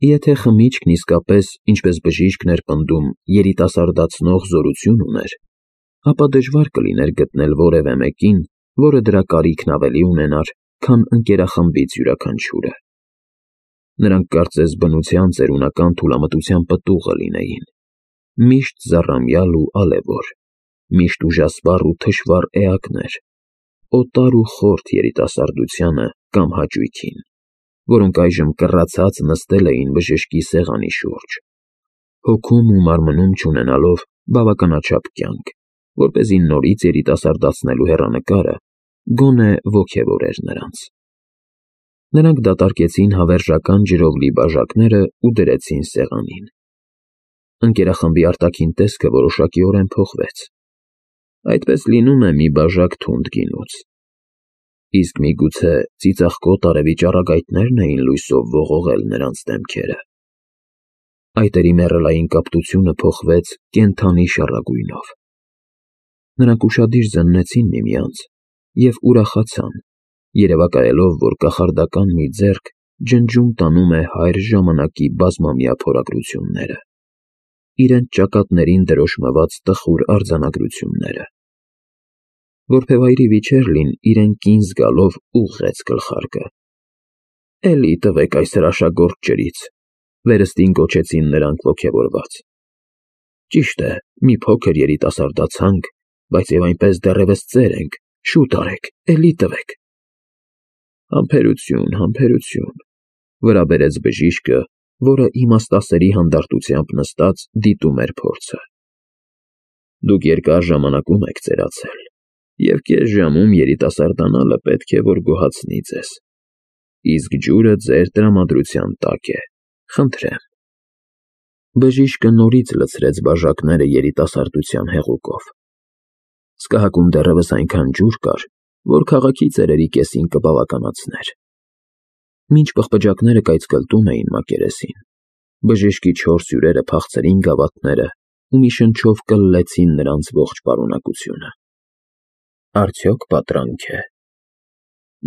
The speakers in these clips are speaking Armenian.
Եթե խմիչքն իսկապես, ինչպես բժիշկն էր պնդում, երիտասարդացնող զորություն ուներ, ապա դժվար կլիներ գտնել որևէ մեկին, որը դրա կարիքն ավելի ունենար, քան ընկերախմբից յուրաքանչյուրը։ Նրանք կարծես բնության ծերունական թուլամտության պտուղը լինեին, միշտ զառամյալ ու ալևոր, միշտ ուժասպառ ու թշվառ էակներ, օտար ու խորթ երիտասարդությանը կամ հաճույքին, որոնք այժմ կռացած նստել էին բժշկի սեղանի շուրջ, հոգում ու մարմնում չունենալով բավականաչափ կյանք, որպեսզի նորից երիտասարդացնելու հեռանկարը գոնե ոգևորեր նրանց։ Նրանք դատարկեցին հավերժական ջրով լի բաժակները ու դրեցին սեղանին։ Ընկերախմբի արտաքին տեսքը որոշակիորեն փոխվեց։ Այդպես լինում է մի բաժակ թունդ գինուց։ Իսկ միգուցե ծիծաղկոտ արևի ճառագայթնե՞րն էին լույսով ողողել նրանց դեմքերը։ Այտերի մեռելային կապտությունը փոխվեց կենդանի շառագույնով։ Նրանք ուշադիր զննեցին միմյանց և ուրախացան, երևակայելով, որ կախարդական մի ձեռք ջնջում տանում է հայր ժամանակի բազմամյա փորագրությունները, իրենց ճակատներին դրոշմված տխուր արձանագրությունները։ Որփևայրի Վիչեռլին իրեն կին զգալով ուղղեց գլխարկը։ «Էլի տվեք այս հրաշագործ ջրից», վերստին գոչեցին նրանք ոգևորված։ «Ճիշտ է, մի փոքր երիտասարդացանք, բայց և այնպես դեռևս ծեր ենք, շուտ արեք, էլի տվեք»։ «Համբերություն, համբերություն», վրա բերեց բժիշկը, որը իմաստասերի հանդարտությամբ նստած դիտում էր փորձը։ «Դուք երկար ժամանակում եք ծերացել, և կես ժամում երիտասարդանալը պետք է որ գոհացնի ձեզ, իսկ ջուրը ձեր տրամադրության տակ է, խնդրեմ»։ Բժիշկը նորից լցրեց բաժակները երիտասարդության հեղուկով։ Սկահակում դեռևս այնքան ջուր կար, որ քաղաքի ծերերի կեսին կբավականացներ։ Մինչ պղպջակները կայծկլտում էին մակերեսին, բժշկի 4 հյուրերը փախցրին գավաթները ու մի շնչով կլլեցին նրանց ողջ պարունակությունը։ Արդյոք պատրանք է։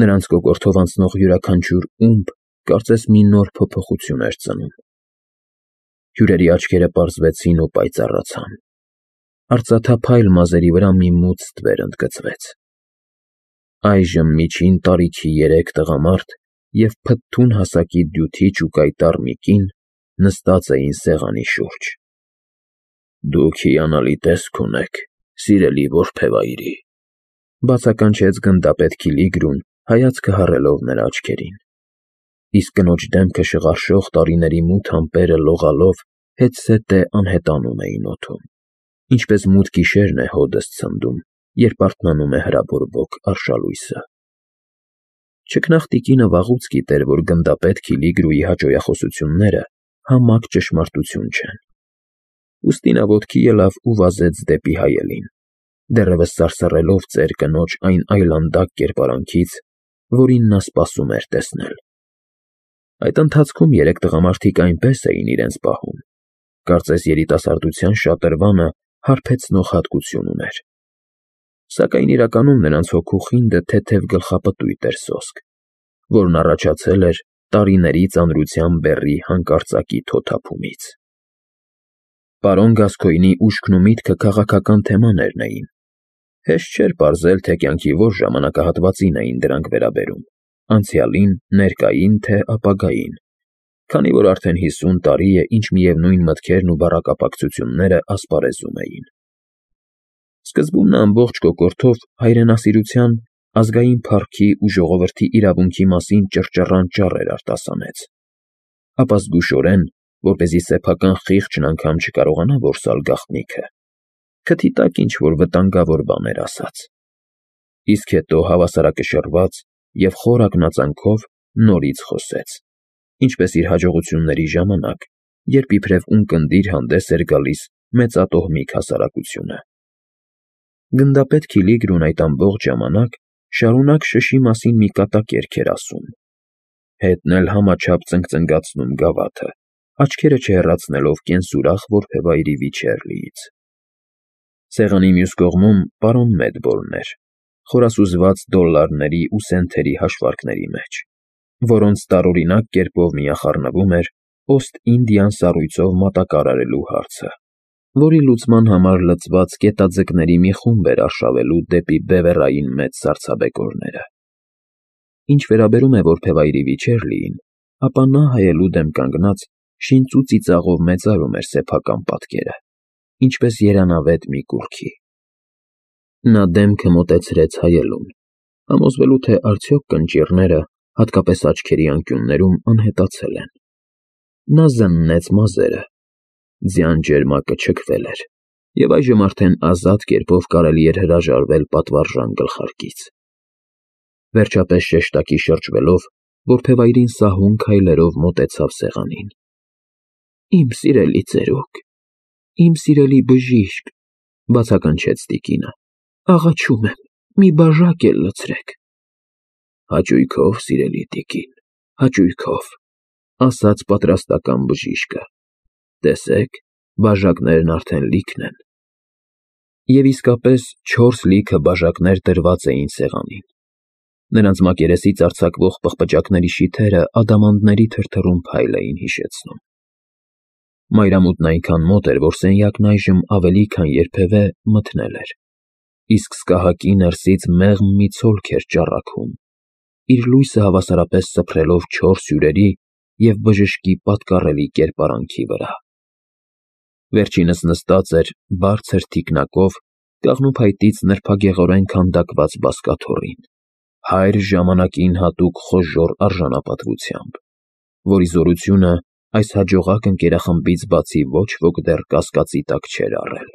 Նրանց կոկորդով անցնող յուրաքանչյուր ումբ կարծես մի նոր փոփոխություն էր ծնում։ Հյուրերի աչքերը պարզվեցին ու պայծառացան։ Արծաթափայլ մազերի վրա մի մութ ստվեր ընդգծվեց։ Այժմ միջին տարիքի 3 տղամարդ և փթթուն հասակի դյութիչ ու կայտառ մի կին նստած էին սեղանի շուրջ։ «Դուք հիանալի տեսք ունեք, սիրելի որբևայրի», բացականչեց գնդապետ Քիլիգրուն, հայացքը հառելով նրա աչքերին։ Իսկ կնոջ դեմքը շղարշող տարիների մութ ամպերը լողալով հետզհետե անհետանում էին օդում, ինչպես մութ գիշերն է հոդս ցնդում, երբ արթնանում է հրաբորբոք արշալույսը։ Չքնաղ տիկինը վաղուց գիտեր, որ գնդապետ Քիլիգրուի հաճոյախոսությունները համակ ճշմարտություն չեն։ Ուստի նա ոտքի ելավ ու վազեց դեպի հայելին, դեռևս սարսռելով ծեր կնոջ այն այլանդակ կերպարանքից, որին նա սպասում էր տեսնել։ Այդ ընթացքում 3 տղամարդիկ այնպես էին իրենց պահում, կարծես երիտասարդության շատրվանը հարբեցնող հատկություն ուներ։ Սակայն իրականում նրանց հոգու խինդը թեթև գլխապտույտ էր սոսկ, որն առաջացել էր տարիների ծանրության բեռի հանկարծակի թոթափումից։ Պարոն Գասկոյնի ուշքն ու միտքը քաղաքական թեմաներն էին։ Հեշտ չէր պարզել, թե կյանքի որ ժամանակահատվածին էին դրանք վերաբերում, անցյալին, ներկային, թե ապագային, քանի որ արդեն 50 տարի է, ինչ միևնույն մտքերն ու բառակապակցությունները ասպարեզում էին։ Սկզբում նա ամբողջ կոկորդով հայրենասիրության, ազգային փառքի ու ժողովրդի իրավունքի մասին ճռճռան ճառեր արտասանեց, ապա զգուշորեն, որպեսզի սեփական խիղճն անգամ չկարողանա որսալ գաղտնիքը, քթի տակ ինչ-որ վտանգավոր բաներ ասաց։ Իսկ հետո հավասարակշռված և խոր ակնածանքով նորից խոսեց, ինչպես իր հաջողությունների ժամանակ, երբ իբրև ունկնդիր հանդես էր գալիս մեծատոհմիկ հասարակությունը։ Գնդապետ Քիլիգրուն այդ ամբողջ ժամանակ շարունակ շշի մասին մի կատակերգ էր ասում, հետն էլ համաչափ ծնկծնգացնում գավաթը, աչքերը չհեռացնելով կենսուրախ որբևայրի Վիչեռլիից։ Սեղանի մյուս կողմում պարոն Մեդբոլն էր, խորասուզված դոլլարների ու սենթերի հաշվարկների մեջ, որոնց տարօրինակ կերպով միախառնվում էր Օստ-Ինդիան սառույցով մատակարարելու հարցը, որի լուծման համար լծված գետաձկների մի խումբ էր արշավելու դեպի բևեռային մեծ սառցաբեկորները։ Ինչ վերաբերում է որբևայրի Վիչեռլիին, ապա նա հայելու դեմ կանգնած շինծու ծիծաղով մեծարում էր սեփական պատկերը, ինչպես երանավետ մի կուռքի։ Նա դեմքը մոտեցրեց հայելուն, համոզվելու թե արդյոք կնճիռները, հատկապես աչքերի անկյուններում, անհետացել են։ Նա զննեց մազերը, ձյան ջերմակը չքվել էր, և այժմ արդեն ազատ կերպով կարելի էր հրաժարվել պատվարժան գլխարկից։ Վերջապես շեշտակի շրջվելով, որբևայրին սահուն քայլերով մոտեցավ սեղանին։ «Իմ սիրելի ծերուկ, իմ սիրելի բժիշկ», բացականչեց տիկինը, «աղաչում եմ, մի բաժակ էլ լցրեք»։ «Հաճույքով, սիրելի տիկին, հաճույքով», ասաց պատրաստական բժիշկը, «տեսեք, բաժակներն արդեն լիքն են»։ Եվ իսկապես 4 լիքը բաժակներ դրված էին սեղանին։ Նրանց մակերեսից արձակվող պղպջակների շիթերը ադամանդների թրթռուն փայլ էին հիշեցնում։ Մայրամուտն այնքան մոտ էր, որ սենյակն այժմ ավելի քան երբևէ մթնել էր, իսկ սկահակի ներսից մեղմ մի ցոլք էր ճառագում, իր լույսը հավասարապես սփռելով 4 հյուրերի և բժշկի պատկառելի կերպարանքի վրա։ Վերջինս նստած էր բարձր թիկնակով կաղնուփայտից նրբագեղորեն քանդակված բազկաթոռին, հայր ժամանակին հատուկ խոժոռ արժանապատվությամբ, որի զորությունը այս հաջողակ ընկերախմբից բացի ոչ ոք դեռ կասկածի տակ չէր առել։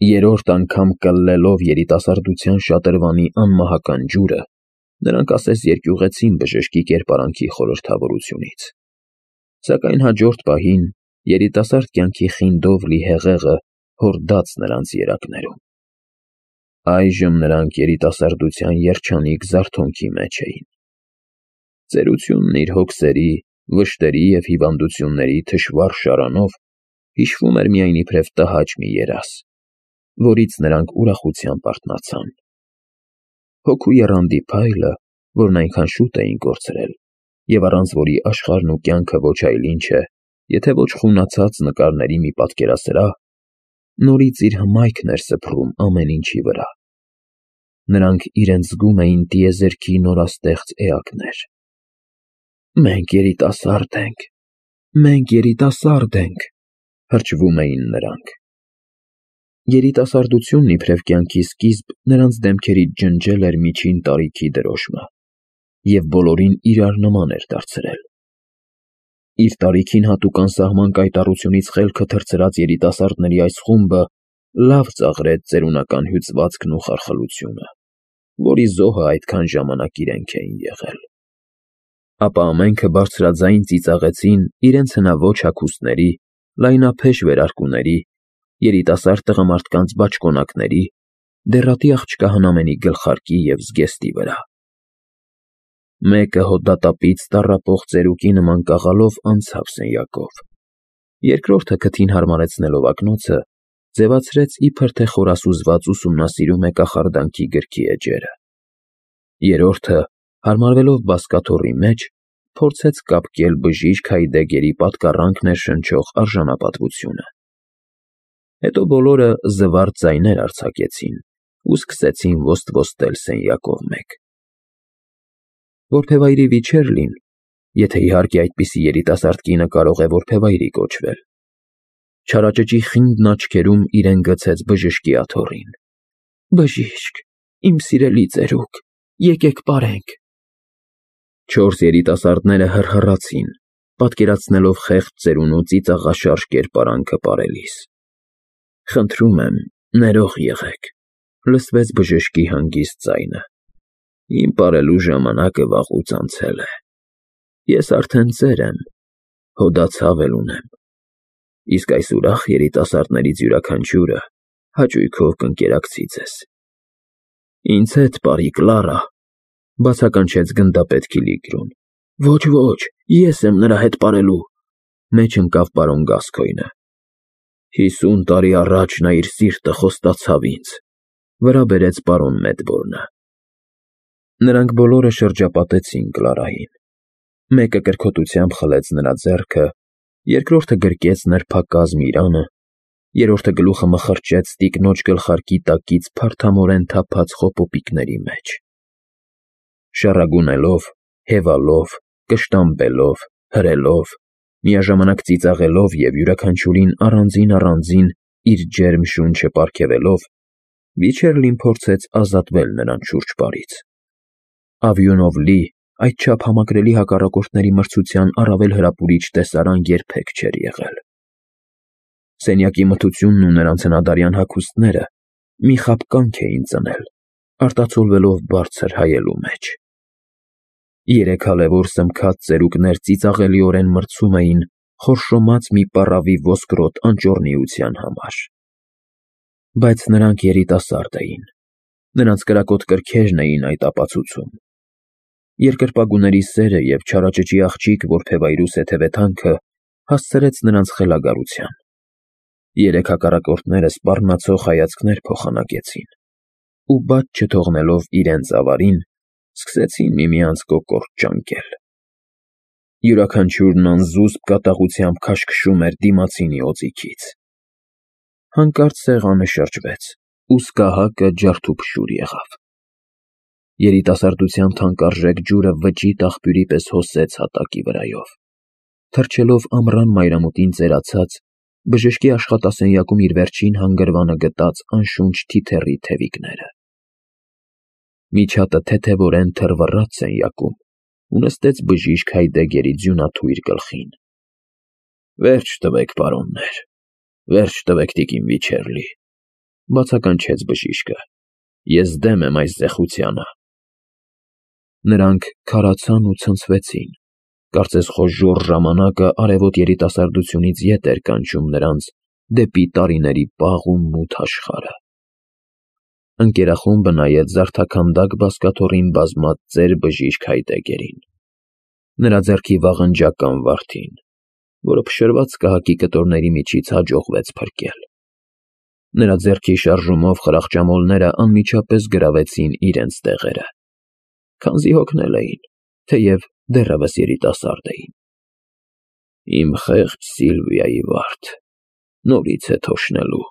Երրորդ անգամ կլլելով երիտասարդության շատրվանի անմահական ջուրը, նրանք ասես երկյուղեցին բժշկի կերպարանքի խորհրդավորությունից։ Սակայն հաջորդ պահին երիտասարդ կյանքի խինդով լի հեղեղը հորդաց նրանց երակներում։ Այժմ նրանք երիտասարդության երջանիկ զարթոնքի մեջ էին։ Ծերությունն իր հոգսերի, վշտերի և հիվանդությունների թշվառ շարանով հիշվում էր միայն իբրև տհաճ մի երազ, որից նրանք ուրախությամբ արթնացան։ Հոգու եռանդի փայլը, որն այնքան շուտ էին կորցրել, և առանց որի աշխարհն ու կյանքը ոչ այլ ինչ է, եթե ոչ խունացած նկարների մի պատկերասրահ, նորից իր հմայքն էր սփռում ամեն ինչի վրա։ Նրանք իրենց զգում էին տիեզերքի նորաստեղծ էակներ։ «Մենք երիտասարդ ենք, մենք երիտասարդ ենք», հրճվում էին նրանք։ Երիտասարդությունն իբրև կյանքի սկիզբ նրանց դեմքերից ջնջել էր միջին տարիքի դրոշմը և բոլորին իրար նման էր դարձրել։ Իր տարիքին հատուկ անսահման կայտառությունից խելքը թռցրած երիտասարդների այս խումբը լավ ծաղրեց ծերունական հյուծվածքն ու խարխլությունը, որի զոհը այդքան ժամանակ իրենք էին եղել։ Ապա ամենքը բարձրաձայն ծիծաղեցին իրենց հնաոճ հագուստների, լայնափեշ վերարկուների, երիտասարդ տղամարդկանց բաճկոնակների, դեռատի աղջկա հնամենի գլխարկի և զգեստի վրա։ Մեկը հոդատապից տառապող ծերուկի նման կաղալով անցավ սենյակով, երկրորդը քթին հարմարեցնելով ակնոցը, ձևացրեց իբր թե խորասուզված ուսումնասիրում է կախարդանքի գրքի էջերը, երրորդը, հարմարվելով բազկաթոռի մեջ, փորձեց կապկել բժիշկ Հայդեգերի պատկառանք ներշնչող արժանապատվությունը։ Հետո բոլորը զվարթ ձայներ արձակեցին ու սկսեցին ոստվոստել սենյակով մեկ։ Որբևայրի Վիչեռլին, եթե իհարկե այդպիսի երիտասարդ կինը կարող է որբևայրի կոչվել, չարաճճի խինդն աչքերում իրեն գցեց բժշկի աթոռին։ «Բժիշկ, իմ սիրելի ծերուկ, եկեք պարենք»։ 4 երիտասարդները հռհռացին, պատկերացնելով խեղճ ծերունու ծիծաղաշարժ կերպարանքը պարելիս։ «Խնդրում եմ, ներող եղեք», լսվեց բժշկի հանգիստ ձայնը։ «Իմ պարելու ժամանակը վաղուց անցել է։ Ես արդեն ծեր եմ, հոդացավ էլ ունեմ, իսկ այս ուրախ երիտասարդներից յուրաքանչյուրը հաճույքով կընկերակցի ձեզ»։ «Ինձ հետ պարի, Կլարա», բացականչեց գնդապետ Քիլիգրոն։ «Ոչ, ես եմ նրա հետ պարելու», մեջ ընկավ պարոն Գասկոյնը։ 50 տարի առաջ նա իր սիրտը խոստացավ ինձ, վրա բերեց պարոն Մեդբորնը։ Նրանք բոլորը շրջապատեցին Կլարային։ Մեկը կրքոտությամբ խլեց նրա ձեռքը, երկրորդը գրկեց նրբակազմ իրանը, երրորդը գլուխը մխրճեց տիկնոջ գլխարկի տակից փարթամորեն թափած խոպոպիկների մեջ։ Շառագունելով, հևալով, կշտամբելով, հրելով, միաժամանակ ծիծաղելով և յուրաքանչյուրին առանձին իր ջերմ շունչը պարգևելով, Վիչերլին փորձեց ազատվել նրան շուրջպարից։ Ավյունով լի, այդչափ համակրելի հակառակորդների մրցության առավել հրապուրիչ տեսարան երբեք չէր եղել։ Սենյակի մթությունն ու նրանց հնադարյան հագուստները մի խաբ կանք էին ծնել, արտացոլվելով բարձր հայելու մեջ։ Երեք հալևոր սմքած ծերուկներ ծիծաղելիորեն մրցում էին խորշոմած մի պառավի ոսկրոտ անճոռնիության համար։ Բայց նրանք երիտասարդ էին, նրանց կրակոտ կրքերն էին այդ ապացուցում։ Երկրպագուների սերը և չարաճճի աղջիկ որբևայրու սեթևեթանքը հասցրեց նրանց խելագարության։ Երեք հակառակորդները սպառնացող հայացքներ փոխանակեցին ու բաց չթողնելով իրենց ավարին, սկսեցին միմյանց կոկորդ ճանկել։ Յուրաքանչյուրն անզուսպ կատաղությամբ քաշքշում էր դիմացինի օձիքից։ Հանկարծ սեղանը շրջվեց, ու սկահակը ջարդուփշուր եղավ։ Երիտասարդության թանկարժեք ջուրը վճիտ աղբյուրի պես հոսեց հատակի վրայով, թռչելով ամռան մայրամուտին ծերացած, բժշկի աշխատասենյակում իր վերջին հանգրվանը գտած անշունչ թիթեռի թևիկները։ Միջատը թեթևորեն թռվռաց սենյակում ու նստեց բժիշկ Հայդեգերի ձյունաթույր գլխին։ «Վերջ տվեք, պարոններ, վերջ տվեք տիկին Վիչերլի», բացականչեց բժիշկը։ «Ես դեմ եմ այս զեղությանը»։ Նրանք քարացան ու ցնցվեցին, կարծես խոժոռ ժամանակը արևոտ երիտասարդությունից ետ էր կանչում նրանց դեպի տարիների պաղ ու մութ աշխարհը։ Ընկերախումբը նայեց զարդաքանդակ բազկաթոռին բազմած ծեր բժիշկ Հայդեգերին, նրա ձեռքի վաղնջական վարդին, որը փշրված սկահակի կտորների միջից հաջողվեց փրկել։ Նրա ձեռքի շարժումով խրախճամոլները անմիջապես գրավեցին իրենց տեղերը, քանզի հոգնել էին, թեև դեռևս երիտասարդ էին։ «Իմ խեղճ Սիլվիայի վարդ, նորից է թոշնելու»,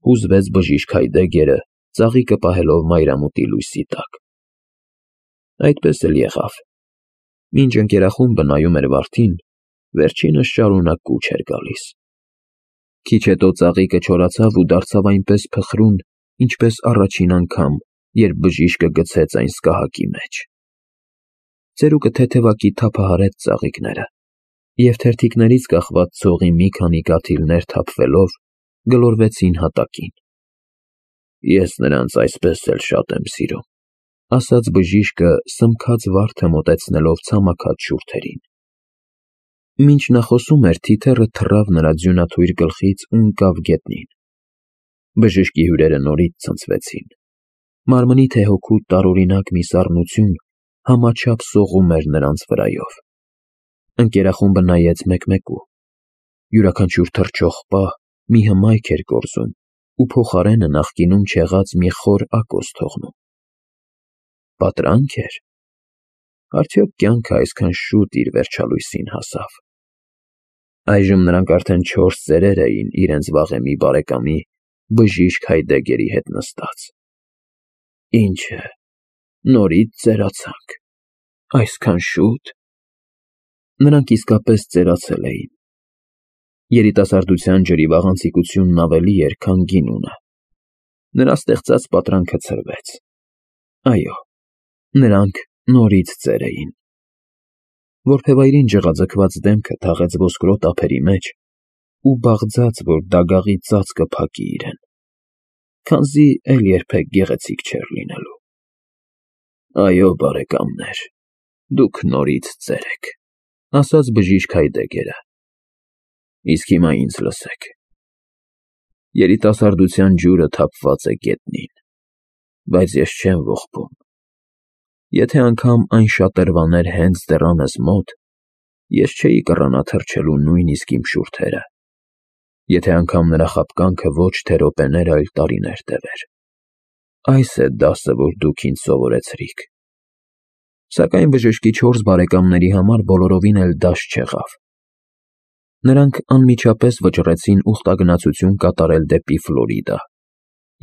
հուզվեց բժիշկ Հայդեգերը, ծաղիկը պահելով մայրամուտի լույսի տակ։ Այդպես էլ եղավ։ Մինչ ընկերախումբը նայում էր վարդին, վերջինս շարունակ կուչ էր գալիս։ Քիչ հետո ծաղիկը չորացավ ու դարձավ այնպես փխրուն, ինչպես առաջին անգամ, երբ բժիշկը գցեց այն սկահակի մեջ։ Ծերուկը թեթևակի թափահարեց ծաղիկները, և թերթիկներից կախված ցողի մի քանի կաթիլներ թափվելով գլորվեցին հատակին։ «Ես նրանց այսպես էլ շատ եմ սիրում», ասաց բժիշկը սմքած վարդը մոտեցնելով ցամաքած շուրթերին։ Մինչ նա խոսում էր, թիթեռը թռավ նրա ձյունաթույր գլխից ու ընկավ գետնին։ Բժշկի հյուրերը նորից ցնցվեցին։ Մարմնի թե հոգու տարօրինակ մի սառնություն համաչափ սողում էր նրանց վրայով։ Ընկերախումբը նայեց մեկ-մեկու։ Յուրաքանչյուր թռչող պահ մի հմայք էր կորզում ու փոխարենը նախկինում չեղած մի խոր ակոս թողնում։ Պատրանք էր։ Արդյոք կյանքը այսքան շուտ իր վերջալույսին հասավ։ Այժմ նրանք արդեն 4 ծերեր էին իրենց վաղեմի բարեկամի բժիշկ Հայդեգերի հետ նստած։ Ինչ է, նորից ծերացանք, այսքան շուտ։ Նրանք իսկապես ծերացել էին։ Երիտասարդության ջրի վաղանցիկությունն ավելի էր, քան գինունը։ Նրա ստեղծած պատրանքը ցրվեց։ Այո, նրանք նորից ծեր էին։ Որբևայրին ջղաձգված դեմքը թաղեց ոսկրոտ ափերի մեջ ու բաղձաց, որ դագաղի ծածկը փակի իրեն, քանզի էլ երբեք գեղեցիկ չէր լինելու։ Այո, բարեկամներ, դուք նորից ծեր եք, ասաց բժիշկ Հայդեգերը։ Իսկ հիմա ինձ լսեք։ Երիտասարդության ջուրը թափված է գետնին, բայց ես չեմ ողբում։ Եթե անգամ այն շատրվաներ հենց դռանս մոտ, ես չէի կռանա թռչելու նույնիսկ իմ շուրթերը, եթե անգամ նրա խաբկանքը ոչ թե րոպեներ, այլ տարիներ տևեր։ Այս է դասը, որ դուք ինձ սովորեցրիք։ Սակայն բժշկի 4 բարեկամների համար բոլորովին էլ դաշտ չեղավ։ Նրանք անմիջապես վճռեցին ուխտագնացություն կատարել դեպի Ֆլորիդա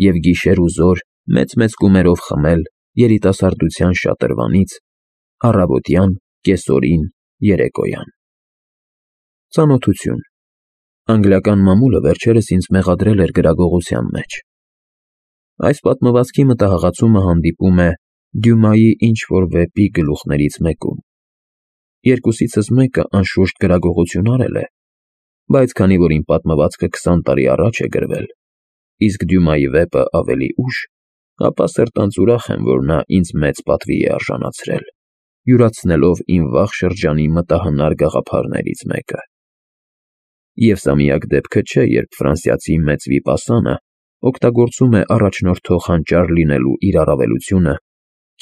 և գիշեր ու զօր մեծ կումերով խմել երիտասարդության շատրվանից առավոտյան, կեսօրին, երեկոյան։ Ծանոթություն։ Անգլիական մամուլը վերջերս ինձ մեղադրել էր գրագողության մեջ։ Այս պատմվածքի մտահղացումը հանդիպում է Դյումայի ինչ-որ վեպի գլուխներից մեկում։ Երկուսիցս մեկը անշուշտ գրագողություն արել է, բայց քանի որ իմ պատմվածքը 20 տարի առաջ է գրվել, իսկ Դյումայի վեպը ավելի ուշ, ապա սրտանց ուրախ եմ, որ նա ինձ մեծ պատվի է արժանացրել, յուրացնելով իմ վաղ շրջանի մտահնար գաղափարներից մեկը։ Եվ սա միակ դեպքը չէ, երբ ֆրանսիացի մեծ վիպասանը օգտագործում է առաջնորդող հանճար լինելու իր առավելությունը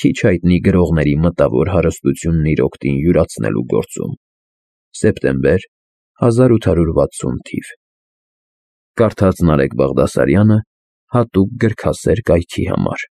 քիչ հայտնի գրողների մտավոր հարստությունն իր օգտին յուրացնելու գործում։ Սեպտեմբեր 1860 թիվ։ Կարդաց Նարեկ Բաղդասարյանը հատուկ գրքասեր կայքի համար։